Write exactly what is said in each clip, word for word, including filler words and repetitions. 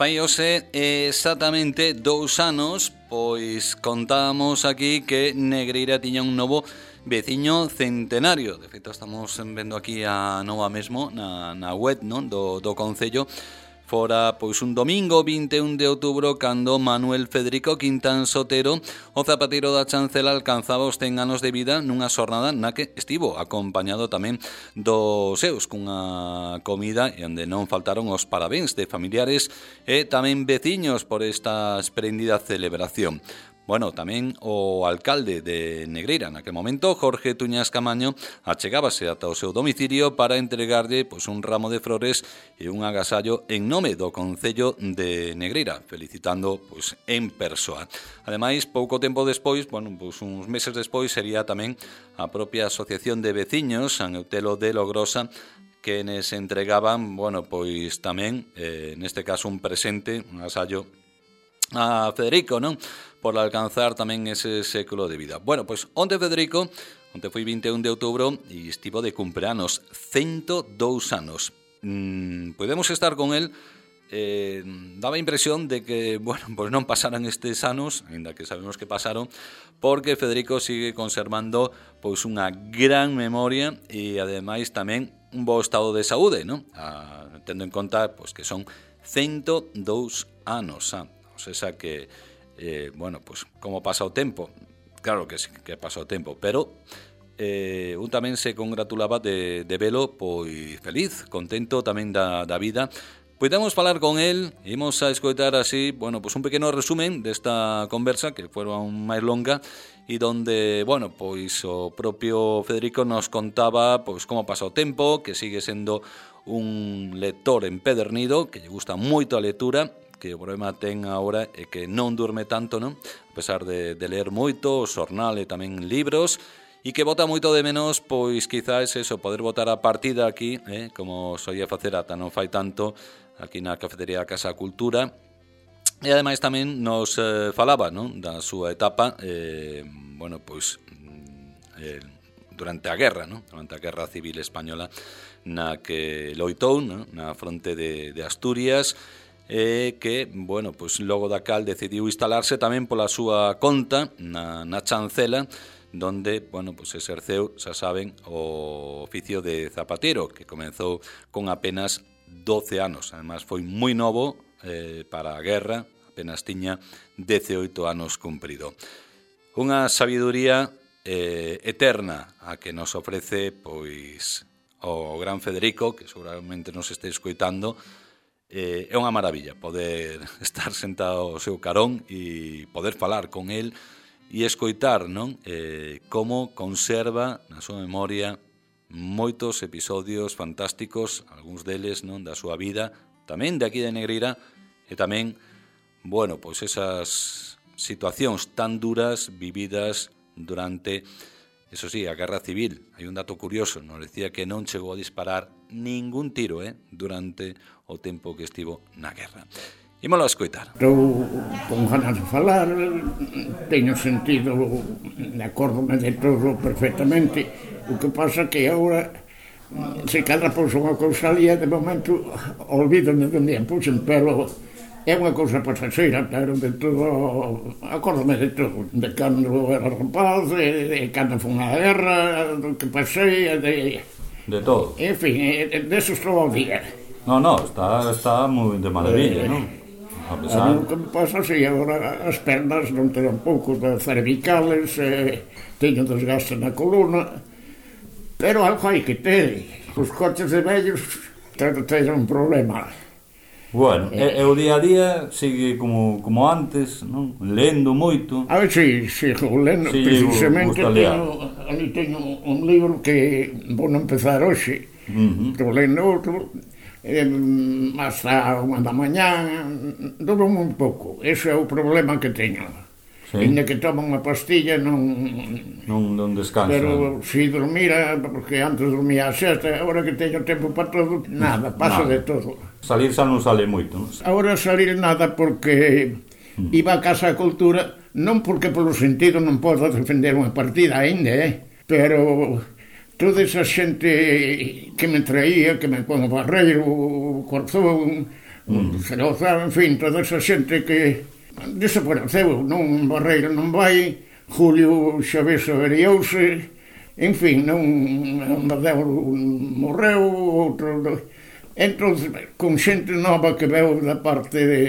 Fai hoxe exactamente dous anos, pois contábamos aquí que Negreira tiña un novo veciño centenario. De feito, estamos vendo aquí a nova mesmo na, na web, non, do, do Concello. Fora pois un domingo vinte e un de outubro cando Manuel Federico Quintán Sotero, o zapateiro da Chancela, alcanzaba os cen anos de vida nunha xornada na que estivo acompañado tamén dos seus cunha comida e onde non faltaron os parabéns de familiares e tamén veciños por esta esplendida celebración. Bueno, tamén o alcalde de Negreira naquele momento, Jorge Tuñas Camaño, achegábase ata o seu domicilio para entregarlle pois, un ramo de flores e un agasallo en nome do Concello de Negreira, felicitando pois, en persoa. Ademais, pouco tempo despois, bueno, pois, uns meses despois, sería tamén a propia Asociación de Veciños, San Eutelo de Logrosa, que nes entregaban, bueno, pois tamén, eh, neste caso, un presente, un agasallo a Federico, non? Por alcanzar tamén ese século de vida. Bueno, pois onte Federico, onte foi vinte e un de outubro e estivo de cumpleanos, cento dous anos. Mm, podemos estar con el, eh, daba a impresión de que, bueno, pois non pasaran estes anos, ainda que sabemos que pasaron, porque Federico sigue conservando pois unha gran memoria e ademais tamén un bo estado de saúde, non? Ah, tendo en conta pois que son cento dous anos, ah, o sea que Eh, bueno, pues como pasa o tempo, claro que sí, que pasa o tempo, pero eh, un tamén se congratulaba de, de velo pois feliz, contento tamén da, da vida. Podemos falar con él, imos a escoitar así, bueno, pues un pequeno resumen desta conversa que foi máis longa e donde, bueno, pois o propio Federico nos contaba pois como pasa o tempo, que sigue sendo un lector empedernido, que lle gusta moito a lectura, que o problema ten agora é que non durme tanto, non? A pesar de, de ler moito, o xornal e tamén libros, e que bota moito de menos, pois quizás eso, poder botar a partida aquí, eh, como soía facer ata non fai tanto, aquí na cafetería Casa Cultura, e ademais tamén nos eh, falaba, non? Da súa etapa, eh, bueno, pois, eh, durante a guerra, non? Durante a guerra civil española, na que loitou, non? Na fronte de, de Asturias, e que, bueno, pois logo da cal decidiu instalarse tamén pola súa conta na, na Chancela, donde, bueno, pois exerceu, xa saben, o oficio de zapatero, que comenzou con apenas doce anos. Además, foi moi novo eh, para a guerra, apenas tiña dezaoito anos cumprido. Unha sabiduría eh, eterna a que nos ofrece, pois, o gran Federico, que seguramente nos este escoitando. Eh, é unha maravilla poder estar sentado ao seu carón e poder falar con el e escoitar, non? Eh, como conserva na súa memoria moitos episodios fantásticos, algúns deles, non, da súa vida, tamén de aquí de Negreira, e tamén, bueno, pois esas situacións tan duras vividas durante, eso sí, a Guerra Civil. Hai un dato curioso, nos decía que non chegou a disparar ningún tiro, eh, durante o tempo que estivo na guerra. Ímolo a escoitar. Estou con ganas de falar, teño sentido, acórdome de todo perfectamente. O que pasa que agora, se cadra pouso unha cousa ali, de momento, olvídome de onde a puxen, pero é unha cousa pasaxeira, pero de todo, acórdome de todo, de cando era rapaz, de, de cando foi unha guerra, do que pasei, de... De todo. En fin, de, de eso estou ao día. No, no, está, está moi de maravilla, eh, non? A pesar... O que me pasa, si, agora as pernas non teño pouco de cervicales, eh, teño desgaste na columna, pero algo hai que ter. Os coches de vellos teñen un problema. Bueno, eh, e o día a día sigue como, como antes, non? Lendo moito. A ver, si, sigo lendo, sí, precisamente teño, ali teño un libro que vou empezar hoxe, uh-huh. Estou lendo outro, eh, hasta unha da mañá, duro moi pouco. Ese é o problema que teño. Sí. Ainda que tomo unha pastilla non... Non, non descansa. Pero si dormira, porque antes dormía a sexta, agora que teño tempo para todo, nada, paso nada. De todo. Salir xa non sale moito, non? Agora salir nada porque mm. iba a Casa Cultura, non porque polo sentido non podo defender unha partida ainda, eh? Pero toda esa xente que me traía, que me pon o Barreiro, o Corzón, mm. Ceroza, en fin, toda esa xente que desapareceu, non Barreiro non vai, Julio Xavés averiouse, en fin, non Amadeu morreu, outro... Entón, con xente nova que veu da parte de,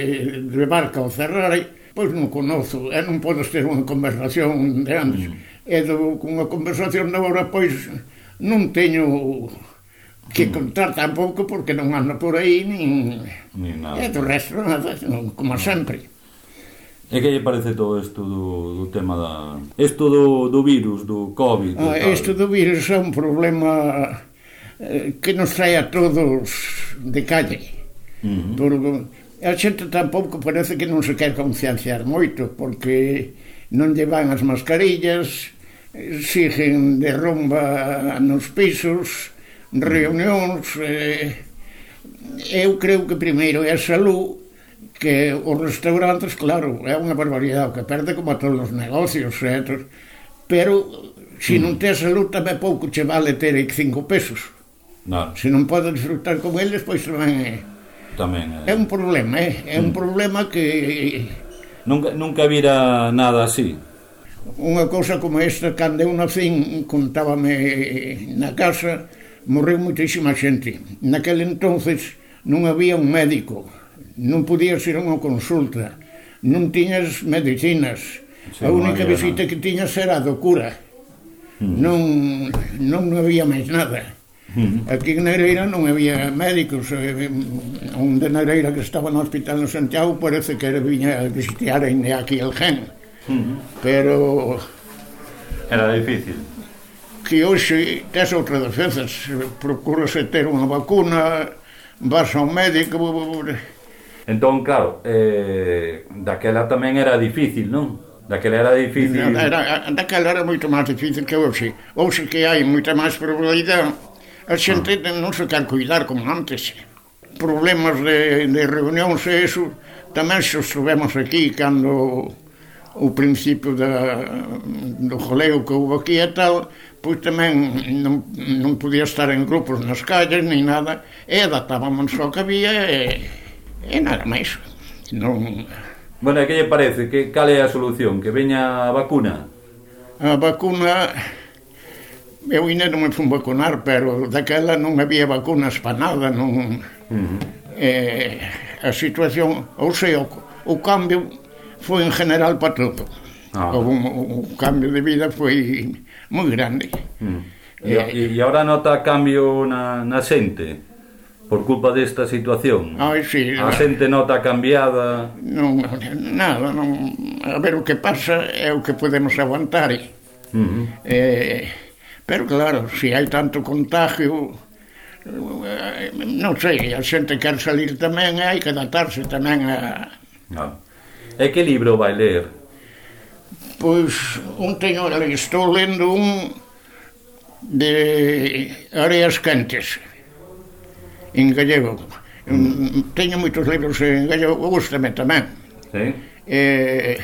de Barca ou Ferrari, pois non conozo, e non podes ter unha conversación de antes. Mm. E do, con unha conversación de agora, pois, non teño que contar tampouco porque non ando por aí, nin... Ni nada. E do resto, nada, como sempre. E que lle parece todo isto do, do tema da... Isto do, do virus, do COVID? Ah, isto do virus é un problema eh, que nos trae a todos de calle. Uh-huh. Porque a xente tampouco parece que non se quer concienciar moito, porque non llevan as mascarillas, siguen de rumba nos pisos, reunións... Eh, eu creo que primeiro é a salud, que os restaurantes, claro, é unha barbaridade, que perde como a todos os negocios, eh? Pero se non tes salud tamén pouco che vale ter cinco pesos. No. Se non podes disfrutar con eles, pois tamén é, tamén é... é un problema, eh? É un mm. problema que... Nunca, nunca vira nada así. Unha cousa como esta, cando eu nacín, contábame na casa, morreu moitísima xente. Naquele entonces non había un médico, non podías ir a unha consulta, non tiñas medicinas, sí, a única no visita no. que tiñas era a do cura, mm. non, non había máis nada. Mm. Aquí en Negreira non había médicos, un de Negreira que estaba no hospital en Santiago parece que era viña a visitar aquí el gen, mm. pero... Era difícil. Que hoxe tes outra defensas, procurase ter unha vacuna, vas ao médico... Entón, claro, eh, daquela tamén era difícil, non? Daquela era difícil... Era, daquela era moito máis difícil que hoxe. Hoxe que hai moita máis probabilidade, a xente ah. non se quer cuidar como antes. Problemas de, de reunións e eso, tamén se soubemos aquí, cando o principio da, do joleo que houve aquí e tal, pois tamén non, non podía estar en grupos nas calles, ni nada, e adaptábamos ao que había e... E nada máis. Non... Bueno, e que lle parece? Que, cal é a solución? Que veña a vacuna? A vacuna... Eu ainda non me fui vacunar, pero daquela non había vacunas para nada, non... Uh-huh. Eh, a situación... Ou sea, o, o cambio foi en general para todo. Ah. O, o, o cambio de vida foi moi grande. Uh-huh. E, eh, e agora nota cambio na, na xente? Por culpa desta situación? Ai, sí, a xente nota cambiada? Non, nada, non... A ver, o que pasa é o que podemos aguantar. Uh-huh. Eh, pero claro, se hai tanto contagio, non sei, a xente quer salir tamén, hai que adaptarse tamén a... Ah. E que libro vai ler? Pois, un teño, estou lendo un de Areas Quentes, en gallego. Mm. Teño moitos libros en gallego, gústame tamén. Sí. E,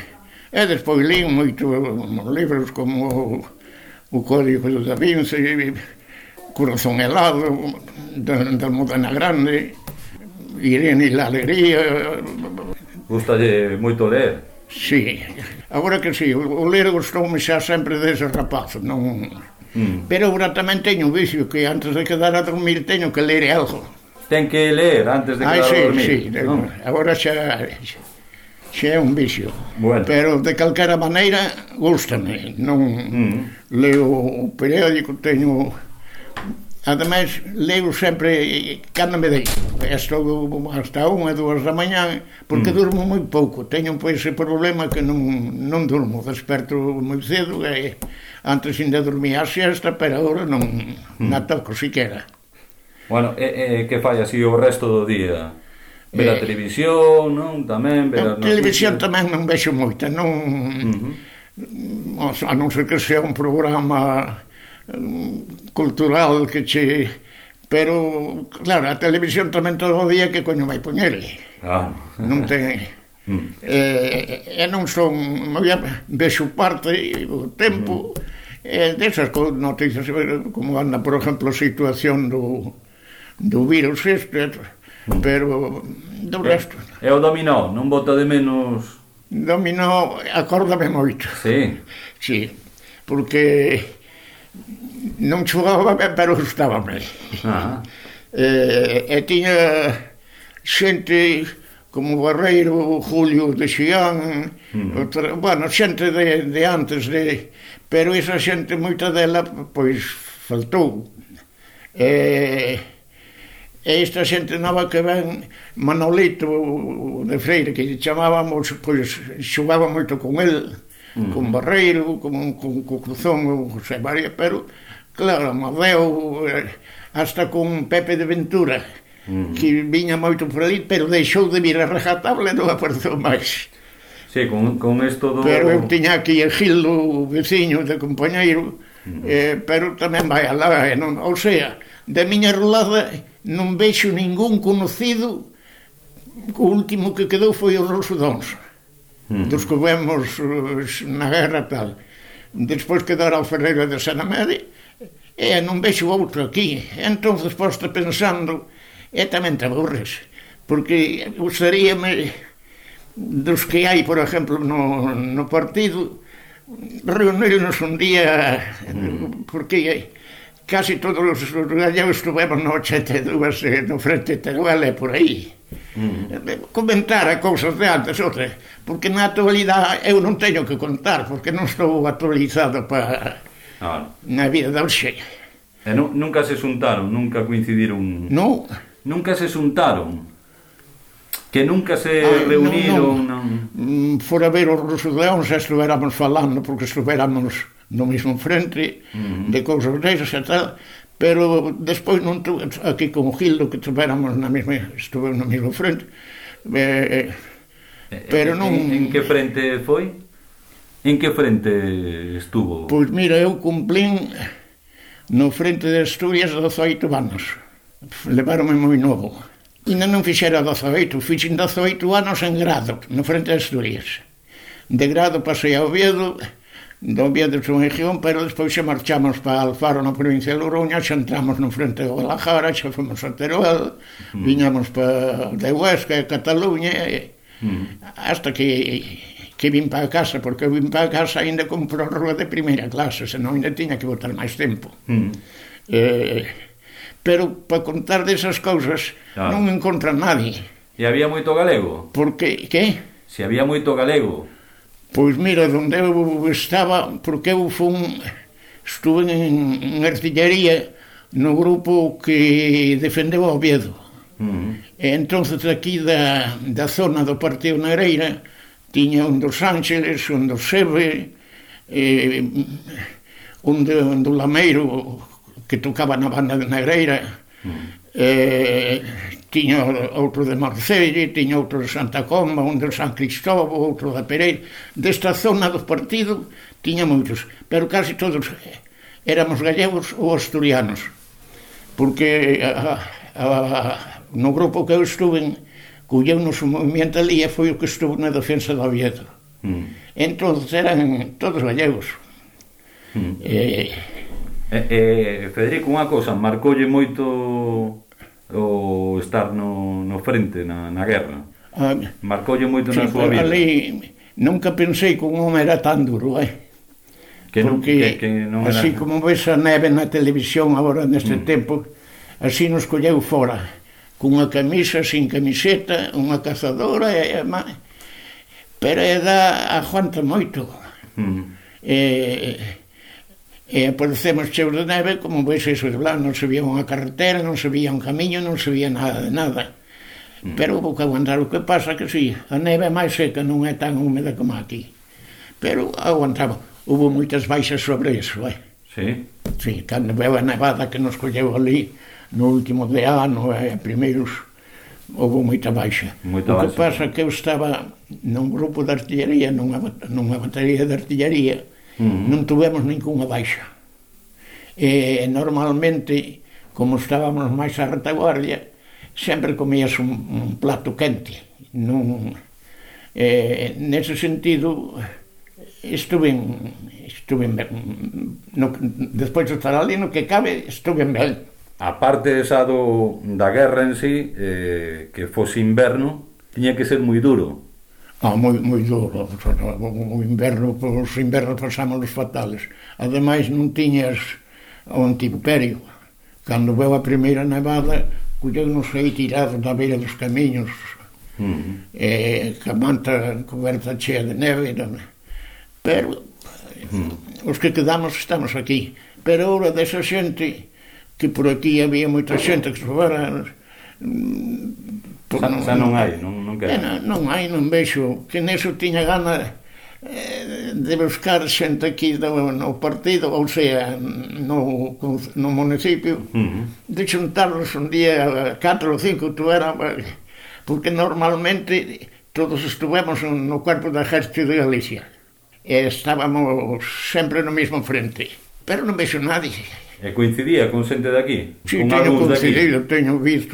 e despois li moitos libros como o Código da Vinci, Corazón helado, da, da Modena Grande, Irene e la Alegría. Gustalle moito ler? Sí, agora que sí, o ler gustoume xa sempre desde rapaz, non... Mm. Pero agora tamén teño un vicio que antes de quedar a dormir teño que ler algo. Ten que ler antes de quedar sí, a dormir. Sí, no? Agora xa, xa é un vicio. Bueno. Pero de calquera maneira, gústame. Non mm. leo o periódico, teño... Ademais, leo sempre cando me deixo. Estou hasta unha, dúas da mañá, porque mm. durmo moi pouco. Teño pois ese problema que non, non durmo. Desperto moi cedo e antes ainda dormía a siesta, pero agora non mm. na toco siquera. Bueno, e, e que fai así o resto do día? Ver a eh, televisión, non? Tamén ver a televisión tamén non vexo moita, non... Uh-huh. A non ser que sea un programa um, cultural que che... Pero, claro, a televisión tamén todo o día que coño vai poñerle. Ah. Non ten... Mm. E, e non son... Vexo parte o tempo... Mm. E desas noticias, como anda, por exemplo, a situación do... do virus este, pero do resto... E o dominó, non bota de menos... Dominó, acórdame moito. Sí. Sí, porque non xogaba ben, pero gustábame. Ah. E, e tiña xente como Barreiro, Julio de Xián, mm. outra, bueno, xente de, de antes, de, pero esa xente, moita dela, pois, faltou. E... E esta xente nova que ven, Manolito de Freire, que chamábamos, pois xogaba moito con el, mm. con Barreiro, con, con, con Cruzón, con José María, pero, claro, Amadeo, hasta con Pepe de Ventura, mm. que viña moito por ali, pero deixou de vir a rajatabla e non apareceu máis. Sí, con, con esto do... Pero eu tiña aquí a Gildo, o veciño de compañeiro, mm. eh, pero tamén vai alá, eh, non, ou sea, da miña rolada non vexo ningún conocido. O último que quedou foi o Rosudóns, mm. dos que vemos na guerra tal. Despois quedara o Ferreira de Sanamede, e non vexo outro aquí. Entón, despois de pensando, e tamén te aburres, porque gustaríame dos que hai, por exemplo, no, no partido, reunirnos un día, mm. porque casi todos os gallegos estuvemos no ochenta e dous no Frente de Teruel e por aí. Mm. Comentar a cousas de antes, outra, porque na actualidade eu non teño que contar, porque non estou actualizado para ah. na vida da hoxe. E nu, nunca se xuntaron, nunca coincidiron? Non. Nunca se xuntaron? Que nunca se ah, reuniron? Non, non. Fora ver os Rosudeóns, estuvéramos falando, porque estuvéramos no mesmo frente, uh-huh. de cousas desas e tal, pero despois non tu, aquí con o Gildo, que estuvéramos na mesma, estuve no mesmo frente, eh, pero non... En, en que frente foi? En que frente estuvo? Pois mira, eu cumplín no frente de Asturias dezoito anos, levaronme moi novo. Ainda non fixera dezoito, fixen dezoito anos en Grado, no frente de Asturias. De Grado pasei a Oviedo, do Oviedo son región, pero despois xa marchamos para Alfaro na provincia de Logroña, xa entramos no frente de Guadalajara, xa fomos a Teruel, mm. viñamos para de Huesca e Cataluña, e, mm. hasta que, que vim para casa, porque eu vim para casa ainda con prórroga de primeira clase, senón ainda tiña que botar máis tempo. Mm. Eh, pero para contar desas cousas claro. non encontra nadie. E había moito galego? Porque, que? Se había moito galego? Pois mira, onde eu estaba, porque eu fun, estuve en, en artillería no grupo que defendeu o Oviedo. Uh-huh. E entonces aquí da, da zona do Partido Negreira tiña un dos Ángeles, un dos Sebe, eh, un, de, un do Lameiro que tocaba na banda de Negreira, uh-huh. eh, tiña outro de Marcelle, tiña outro de Santa Comba, un de San Cristóbal, outro da Pereira. Desta zona do partido tiña moitos, pero casi todos éramos gallegos ou asturianos, porque a, a, a, no grupo que eu estuve colleu-nos o movimento ali e foi o que estuvo na defensa do Oviedo. Mm. Entón eran todos gallegos. Mm. Eh, eh, eh, Federico, unha cousa, marcoulle moito o estar no, no frente, na, na guerra? Ah, marcoulle moito sí, na súa vida? Ali nunca pensei que un home era tan duro, eh? Que non, porque que, que non era... así como ves a neve na televisión agora neste mm. tempo, así nos colleu fora, cunha camisa, sin camiseta, unha cazadora, e, e, pero a edad aguanta moito. Mm. E... e aparecemos cheos de neve, como veis eso de blanco, non se vía unha carretera, non se vía un camiño, non se vía nada de nada. Mm. Pero houve que aguantar. O que pasa que sí, a neve é máis seca, non é tan húmeda como aquí. Pero aguantaba. Houve moitas baixas sobre eso, eh? Sí? Sí, cando veo a nevada que nos colleu ali, no último de ano, eh, primeiros, houve moita baixa. Moita o que baixa. pasa que eu estaba nun grupo de artillería, nunha, nunha batería de artillería, Uh-huh. non tuvemos ninguna baixa. E normalmente, como estábamos máis a retaguardia, sempre comías un, un plato quente. Non, eh, nese sentido, estuve en, estuve en, no, despois de estar ali no que cabe, estuve ben. a parte esa do, da guerra en sí, eh, que fose inverno, tiña que ser moi duro. Ah, moi, moi duro. O inverno, os invernos pasamos os fatales. Ademais, non tiñas o antiimperio. Cando veu a primeira nevada, colleu non sei tirado na beira dos camiños, uh-huh. e ca manta coberta chea de neve, pero uh-huh. os que quedamos estamos aquí. Pero ahora desa xente, que por aquí había moita xente que se fora... Xa non, non hai, non, non queda. Non, non hai, non vexo, que neso tiña gana eh, de buscar xente aquí no, no partido, ou sea, no, no municipio, uh-huh. de xuntarnos un día, catro ou cinco, tu era, porque normalmente todos estuvemos no cuerpo do Exército de Galicia, e estábamos sempre no mesmo frente, pero non vexo nadie. E coincidía con xente de aquí? Si, sí, teño coincidido, teño visto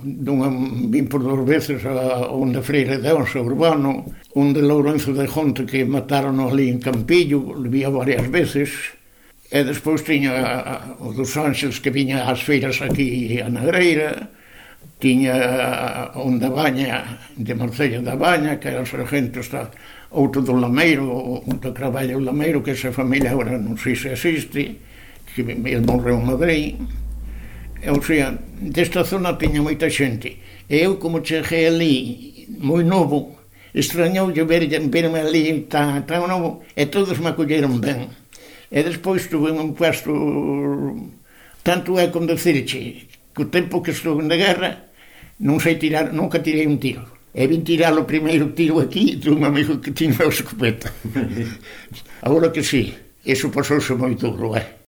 dunha, vim por dos veces a onde Freire de Onso Urbano, onde Lourenzo de Jonte que mataron ali en Campillo, le vía varias veces, e despois tiña o dos Ánxeles que viña ás feiras aquí a Negreira, tiña onde Baña, de Marcella da Baña, que era o sargento, está outro do Lameiro, onde traballa o Lameiro, que esa familia agora non sei se existe, que ele morreu en Madrid. O sea, desta zona tiña moita xente. E eu, como cheguei ali, moi novo, extrañoulle ver, verme ali tan, tan novo, e todos me acolleron ben. E despois tuve un puesto, tanto é como decirche, que o tempo que estuve na guerra, non sei tirar, nunca tirei un tiro. E vin tirar o primeiro tiro aquí, de un amigo que tiña a escopeta. Agora que sí, eso pasouse moi duro, é.